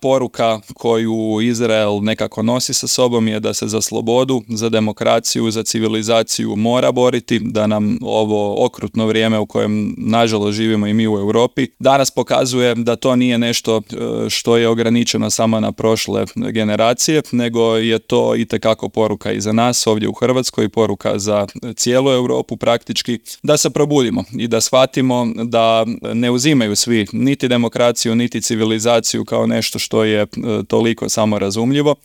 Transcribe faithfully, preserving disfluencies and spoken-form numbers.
poruka koju Izrael nekako nosi sa sobom je da se za slobodu, za demokraciju, za civilizaciju mora boriti, da nam ovo okrutno vrijeme u kojem nažalost živimo i mi u Europi danas pokazuje da to nije nešto što je ograničeno samo na prošle generacije, nego je to itekako poruka i za nas ovdje u Hrvatskoj, poruka za cijelu Europu praktički, da se probudimo i da shvatimo da ne uzimaju svi niti demokraciju, niti civilizaciju kao nešto što je toliko samorazumljivo,